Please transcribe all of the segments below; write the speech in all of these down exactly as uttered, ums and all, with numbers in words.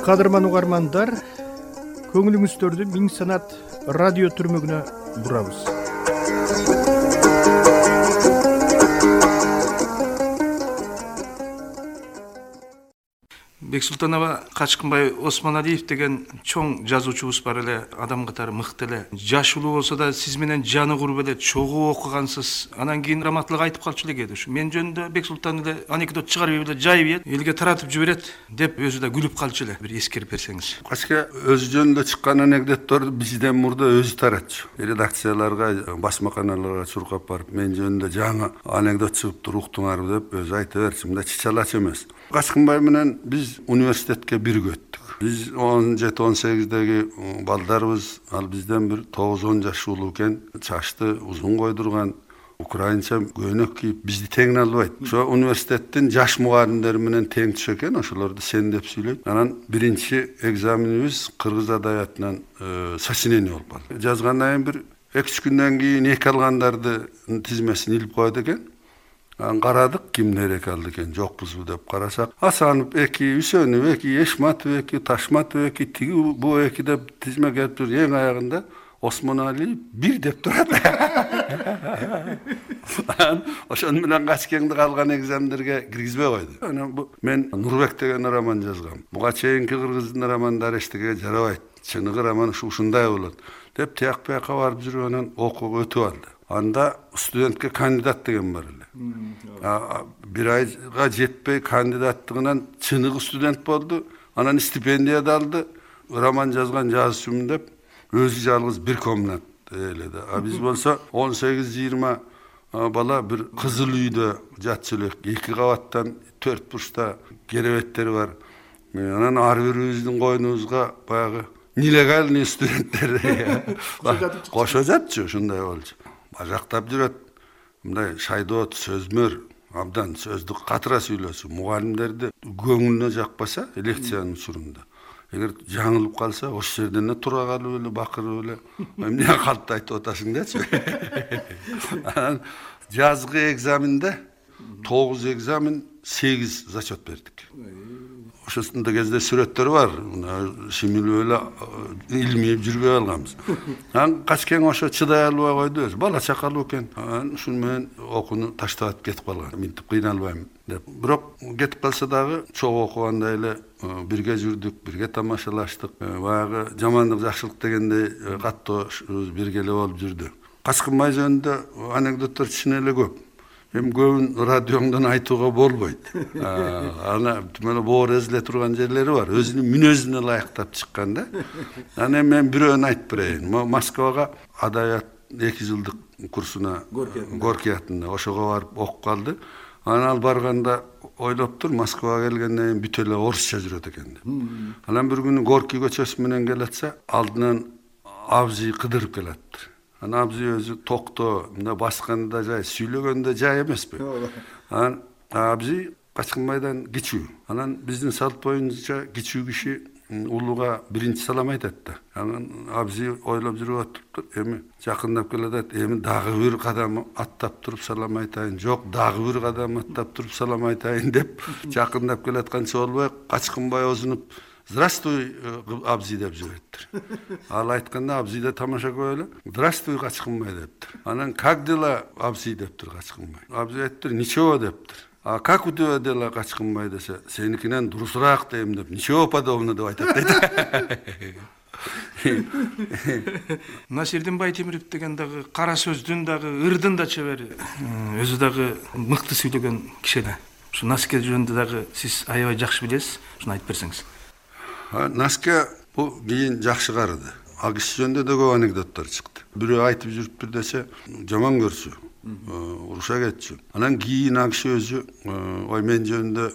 Кадырман угармандар, көңүлүңүздөрдү Миң Санат радио түрмөгүнө бурабыз. Бексултанова Качкынбай Осмоналиев деген чоң жазуучубуз бар эле, адам катары мыкты эле. Жашылуу болсо да сиз менен жаны куруп эле чогуу окугансыз. Анан кийин раматтылык айтып калчу эле кээде. Ушу мен жөнүндө Бексултан эле анекдот чыгарып эле жайып элге таратып жиберет деп өзү да күлүп калчу эле. Бир эскерип берсеңиз. Качка өзү жөнүндө чыккан анекдотторду бизден мурда өзү таратчу. Редакцияларга, басмаканаларга чуркап барып, мен жөнүндө жаңы анекдот чыгыптыр, уктуңарбы деп өзү айта берчү. Мында чычалач эмес. Качкынбай менен биз университетке бирге өттүк. Биз он жети он сегиздеги балдарыбыз, ал бизден бир тогуз он жаш улуу экен, чачты узун койдурган, украинча көйнөк кийип, бизди теңин албайт. Ошо университеттин жаш мугалимдери менен тең түшө экен, ошолорду сен деп сүйлөйт. Анан биринчи экзаменибиз кыргыз адабиятынан сочинение болуп калды. Жазгандан кийин бир эки үч күндөн кийин эки алгандарды тизмесин илип коет экен. Карадык, кимдер эки алды экен, жокпузбу деп карасак, Асанов эки, Үсөнов эки, Эшматов эки, Ташматов эки, тиги бу эки деп тизме келип тур. Эң аягында Осмоналиев бир деп турат. Ошону менен Качкеңди калган экзамендерге киргизбей койду. Анан бу мен Нурбек деген роман жазгам. Буга чейинки кыргыздын романдары эчтеге жарабайт. Чыныгы роман ушу ушундай болот деп тияк бияка барып жүрүп анан окууга өтүп алды. Анда студентке кандидат деген бар эле. Бир айга жетпей кандидаттыгынан чыныгы студент болду. Анан стипендия да алды. Роман жазган жазуучумун деп өзү жалгыз бир комнат эледи. А биз болсо он сегиз жыйырма бала бир кызыл үйдө жатчу элек. Эки кабаттан төрт бурчта керебеттери бар. Анан ар бирибиздин койнубузга баягы нелегальный студенттер кошо жатчу, ушундай болчу. Бажактап жүрөт. Мындай шайдоот, сөзмөр, абдан сөздү катыра сүйлөсү. Мугалимдерди көңүлүнө жакпаса, лекциянын учурунда. Эгер жаңылып калса, ошол жерден эле тура калып эле, бакырып эле, эмне калпты айтып атасың дечи. Жазгы экзаменде тогуз экзамен, сегиз зачет бердик. Ошосунда кезде сүрөттөр бар. Шимилип эле илмип жүрбөй алганбыз. Анан Качкең ошо чыдай албай койду өзү. Бала чакалуу экен. Анан ушун менен окууну таштап кетип калган. Минтип кыйналбайм деп. Бирок кетип калса дагы чогуу окугандай эле бирге жүрдүк, бирге тамашалаштык. Баягы жамандык жакшылык дегендей каттоо бирге эле болуп жүрдү. Качкынбай жөнүндө анекдоттор чын эле көп. Эми көбүн радиоңдон айтууга болбойт. Ана тим эле боор эзиле турган жерлери бар. Өзүнүн мүнөзүнө ылайыктап чыккан да. Анан мен бирөөнү айтып берейин. Москвага адабият эки жылдык курсуна Горький атында ошого барып окуп калды. Анан ал барганда ойлоптур, Москвага келгенден кийин бүт эле орусча жүрөт экен деп. Анан бир күнү Горький көчөсү менен келатса, алдынан абзый кыдырып келаттыр. Анан абзый өзү токто, мында басканда жай, сүйлөгөндө жай эмеспи. Анан абзый Качкынбайдан кичүү. Анан биздин салт боюнча кичүү киши улууга биринчи салам айтат да. Анан абзый ойлоп жүрүп атыптыр. Эми жакындап келатат, эми дагы бир кадам аттап туруп салам айтайын, жок, дагы бир кадам аттап туруп салам айтайын деп жакындап келатканча болбой, Качкынбай озунуп «Здравствуй, абзый» деп жибереттир. Ал айтканда абзый да тамаша көрүп эле «Здравствуй, Качкынбай» дептир. Анан «Как дела, абзый» дептир Качкынбай. Абзый айттыр «Ничего» дептир. А как у тебя дела, Качкынбай десе, сеникинен дурусураак дейм деп, «Ничего подобного» деп айтат дейт. Насирдин Байтемиров деген дагы кара сөздүн дагы, ырдын да чебери. Өзү дагы мыкты сүйлөгөн киши эле. Ушу Наске жөнүндө дагы сиз аябай жакшы билесиз. Ушуну айтып берсеңиз. Наске бул кийин жакшы карыды. Ал киши жөнүндө да көп анекдоттор чыкты. Бирөө айтып жүрүптүр десе, жаман көрсү, уруша кетчү. Анан кийин ал киши өзү, ой мен жөнүндө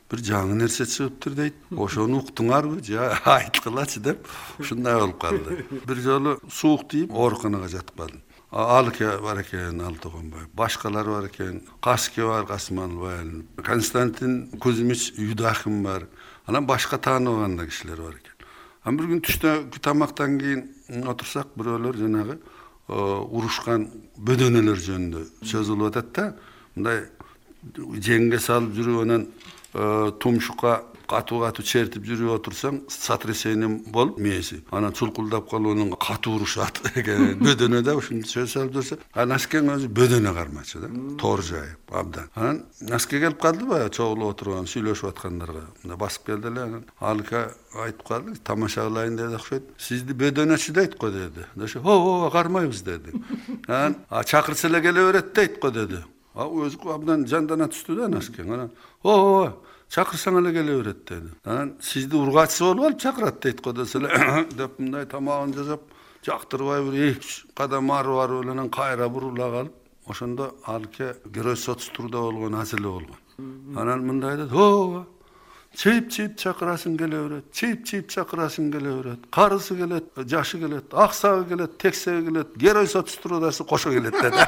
бир жаңы нерсе чыгыптыр дейт. Ошону уктуңарбы, же айткылачы деп ушундай болуп калды. Бир жолу суук тийип, ооруканага жатып калдым. Алке бар экен, Алтыгонбай, башкалар бар экен, Каске бар, Касманбай, Константин Кузьмич Юдахин бар. Анан башка тааныбаган да кишилер бар экен. Анан бир күн түштө тамактан кийин отурсак, бирөөлөр жанагы урушкан бөдөнөлөр жөнүндө сөз кылып атат да, мындай жеңге салып жүрүп анан тумшукка катуу катуу чертип жүрүп отурсаң сотрясение болуп мээси анан чулкулдап калып анан катуу урушат экен бөдөнөдө ушунча салып жүрсө анан Наскен өзү бөдөнө кармачы да тоор жайып абдан анан Наске келип калды баягы чогулуп отурган сүйлөшүп аткандарга мына басып келди эле анан Алика айтып калды тамаша кылайын деди окшойт сизди бөдөнөчү дейт го деди десе ооба кармайбыз деди анан чакырса эле келе берет дейт го деди өзү абдан жандана түстү да Наскен анан ооба чакырсаң эле келе берет деди анан сизди ургачысы болуп алып чакырат дейт го десе эле деп мындай тамагын жасап жактырбай бир эки үч кадам ары барып эле анан кайра бурула калып ошондо Алке герой соцтурда болгон аз эле болгон анан мындай деди ооба чейип чейип чакырасың келе берет чейип чейип чакырасың келе берет карысы келет жашы келет аксагы келет тексеги келет герой соцтрудасы кошо келет деди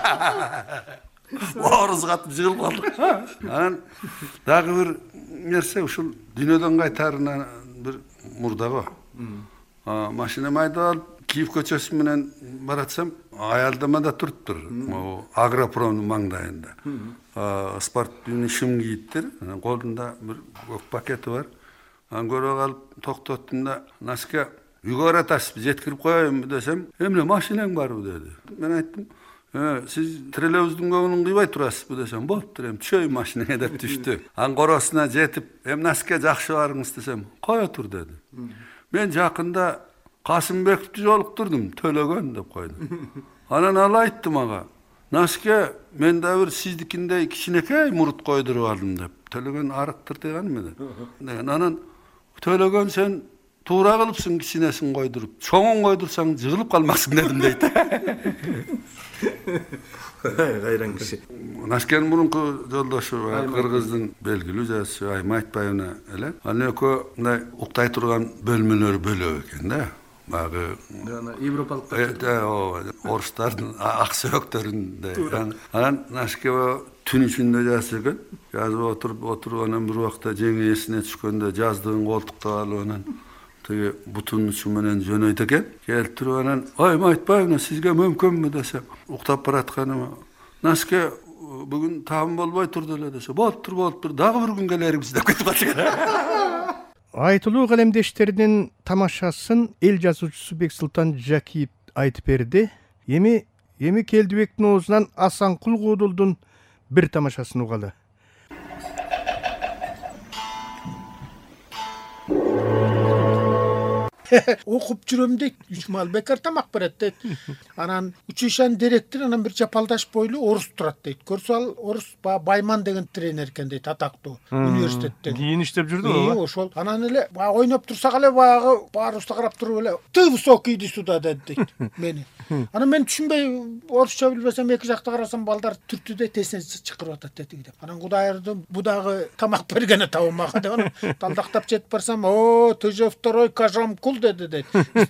орус катып жыгылып калдык анан дагы бир нерсе ушул дүйнөдөн кайтаарына бир мурда го машинамды айдап алып Киев көчөсү менен баратсам аялдамада туруптур Агропромдун маңдайында спортивный шым кийиптир анан колунда бир көк пакети бар анан көрүп калып токтоттум да Наске үйгө баратасызбы жеткирип коеюнбу десем эмне машинең барбы деди мен айттым сиз троллейбустун көңүлүн кыйбай турасызбы десем болуптур эми түшөйүн машинеңе деп түштү анан коросуна жетип эми Наске жакшы барыңыз десем кое тур деди мен жакында Касымбековду жолуктурдум төлөгөн деп койду анан ал айтты мага Наске мен да бир сиздикиндей кичинекей мурут койдуруп алдым деп төлөгөн арыктыр деген эмне деген анан төлөгөн сен туура кылыпсың кичинесин койдуруп чоңун койдурсаң жыгылып калмаксың дедим дейт кайран киши Наскенин мурунку жолдошу кыргыздын белгилүү жазуучу Айма Айтбаевна эле анын экөө мындай уктай турган бөлмөлөрү бөлөк экен да багы жана европалык ооба орустардын ак сөбөктөрүндөй анан Наске түн ичинде жазса экен жазып отуруп отуруп анан бир убакта жеңи эсине түшкөндө жаздыгын колтукта алып анан тиги бутунун учу менен жөнөйт экен келип туруп анан Айма Айтбаевна сизге мүмкүнбү десем уктап баратканыма Наске бүгүн таам болбой турду эле десе болуптур болуптур дагы бир күн келербиз деп кетип калчу экен айтылуу калемдештеринин тамашасын эл жазуучусу Бексултан Жакиев айтып берди эми эми Келдибектин оозунан Асанкул Куудулдун бир тамашасын угалы окуп жүрөм дейт үч маал бекар тамак берет дейт анан училищанын директору анан бир жапалдаш бойлуу орус турат дейт көрсө ал орус баягы Байман деген тренер экен дейт атактуу университеттен кийин иштеп жүрдү ошол анан эле баягы ойноп турсак эле баягы баарыбызды карап туруп эле ты высокий иди сюда деди дейт мени анан мен түшүнбөй орусча билбесем эки жакта карасам балдар түртү дейт эсине чыкырып атат дейт деп анан Кудайырдын бу дагы тамак бергени табы мага деп анан талдактап жетип барсам о ты же второй Кажамкул деди дейт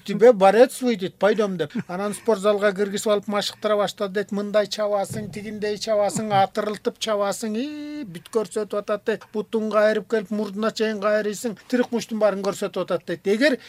тебе борец выйдет пойдем деп анан спортзалга киргизип алып машыктыра баштады дейт мындай чабасың тигиндей чабасың атырылтып чабасың и бүт көрсөтүп атат дейт бутун кайрып келип мурдуна чейин кайрыйсың тирик муштун баарын көрсөтүп атат дейт эгер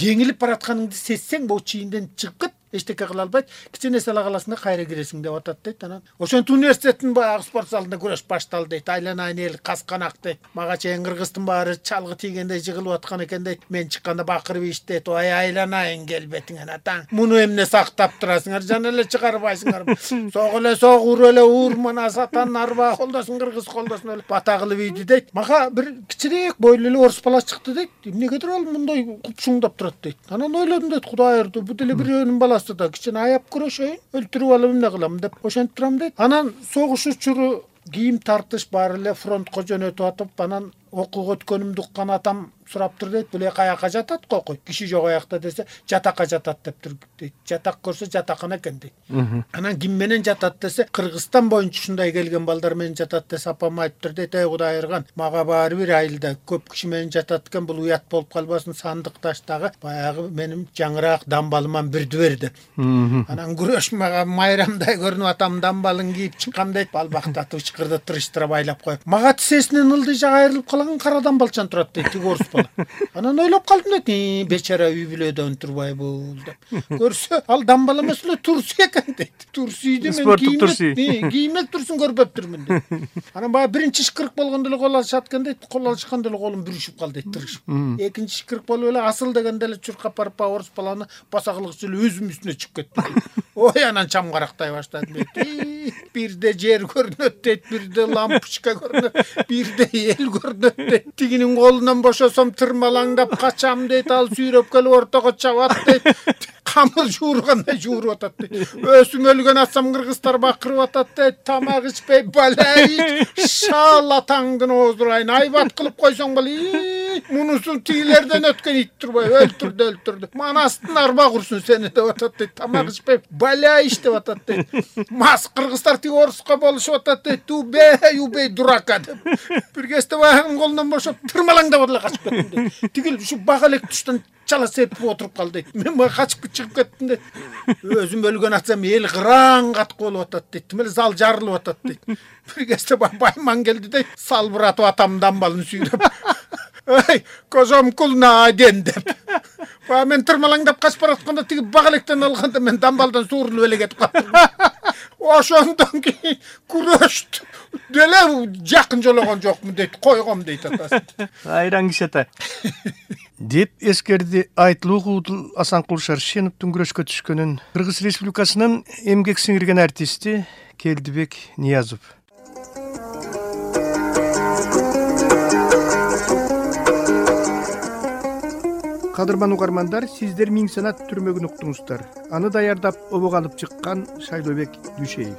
жеңилип баратканыңды сезсең бул чийинден чыгып кет эчтеке кыла албайт кичине сала каласың да кайра киресиң деп атат дейт анан ошентип университеттин баягы спорт залында күрөш башталды дейт айланайын эл касканак дейт мага чейин кыргыздын баары чалгы тийгендей жыгылып аткан экен дейт мен чыкканда бакырып ийишти дейт ой айланайын келбетиңен атаң муну эмне сактап турасыңар жана эле чыгарбайсыңар согу эле согу ур эле ур мына сатанын арбагы колдосун кыргыз колдосун эле бата кылып ийди дейт мага бир кичирээк бойлуу эле орус бала чыкты дейт эмнегедир ал мындай купшуңдап турат дейт анан ойлодум дейт Кудайырды бу деле бирөөнүн баласы да кичине аяп күрөшөйүн өлтүрүп алып эмне кылам деп ошентип турам дейт анан согуш учуру кийим тартыш баары эле фронтко жөнөтүп атып анан окууга өткөнүмдү уккан атам сураптыр дейт бул каяка жатат кокуй киши жок аякта десе жатакка жатат дептир дейт жатак көрсө жатакана экен дейт анан ким менен жатат десе Кыргызстан боюнча ушундай келген балдар менен жатат десе апам айтыптыр дейт эй Кудайырган мага баары бир айылда көп киши менен жатат экен бул уят болуп калбасын сандык таштагы баягы менин жаңыраак дамбалыман бирди бер деп анан күрөш мага майрамдай көрүнүп атам дамбалын кийип чыккам дейт балбактатып ычкырды тырыштырып айлап коюп мага тисесинен ылдый жак айрылып калаган кара дамбалчан турат дейт тиги орус бала. Анан ойлоп калдым дейт, бечара үй бүлөдөн турбай бул деп. Көрсө, ал дамбал эмес эле турсу экен дейт. Турсуйду мен Спорттук турсу. кийимек турсун көрбөптүрмүн дейт. Анан баягы биринчи ышкырык болгондо эле кол алышат экен дейт. Кол алышканда эле колум бүрүшүп калды дейт, тырышып. Экинчи ышкырык болуп эле асыл дегенде эле чуркап барып баягы орус баланы баса кылгычы эле өзүм үстүнө чыгып кетти. Ой, анан чам карактай баштадым дейт. Бирде жер көрүнөт дейт, бирде лампочка көрүнөт, бирде эл көрүнөт дейт. Тигинин колунан бошосом тырмалаңдап качам дейт, ал сүйрөп келип ортого чабат дейт. Камыр жуургандай жууруп атат дейт. Өсүм өлгөн атсам кыргыздар бакырып атат дейт. Тамак ичпей балай, шал атаңдын оозурайын айбат кылып койсоң балай. Мунусун тигилерден өткөн ит турбай өлтүрдү, өлтүрдү. Манастын арба курсун сени деп атат дейт. Тамак ичпей балай иш деп атат дейт. Мас кыргыздар тиги оруско болушуп атат дейт. Убей, убей дурака деп. Бир кезде баягынын колунан бошоп тырмалаңдап эле качып кеттим дейт. Тигил ушу бак элек туштан чала серпип отуруп калды дейт. Мен баягы качып чыгып кеттим дейт. Өзүм өлгөн атсам эл кыраң каткы болуп атат дейт. Тим эле зал жарылып атат дейт. Бир кезде байман келди дейт. Салбыратып атам дамбалын сүйрөп. Ай, козом кулна ден деп. Баягы мен тырмалаңдап качып баратканда тиги бак электен алганда мен дамбалдан суурулуп эле кетип калдым. Ошондон кийин күрөштү. Деле жакын жологон жокмун дейт. Койгом дейт атасы. Айран киши ата. Деп эскерди Айтылуу Куудул Асанкул Шаршеновдун күрөшкө түшкөнүн Кыргыз Республикасынын эмгек сиңирген артисти Келдибек Ниязов. Кадырман угармандар, сиздер Миң санат түрмөгүн уктуңуздар. Аны даярдап обого алып чыккан Шайлообек Дүйшеев.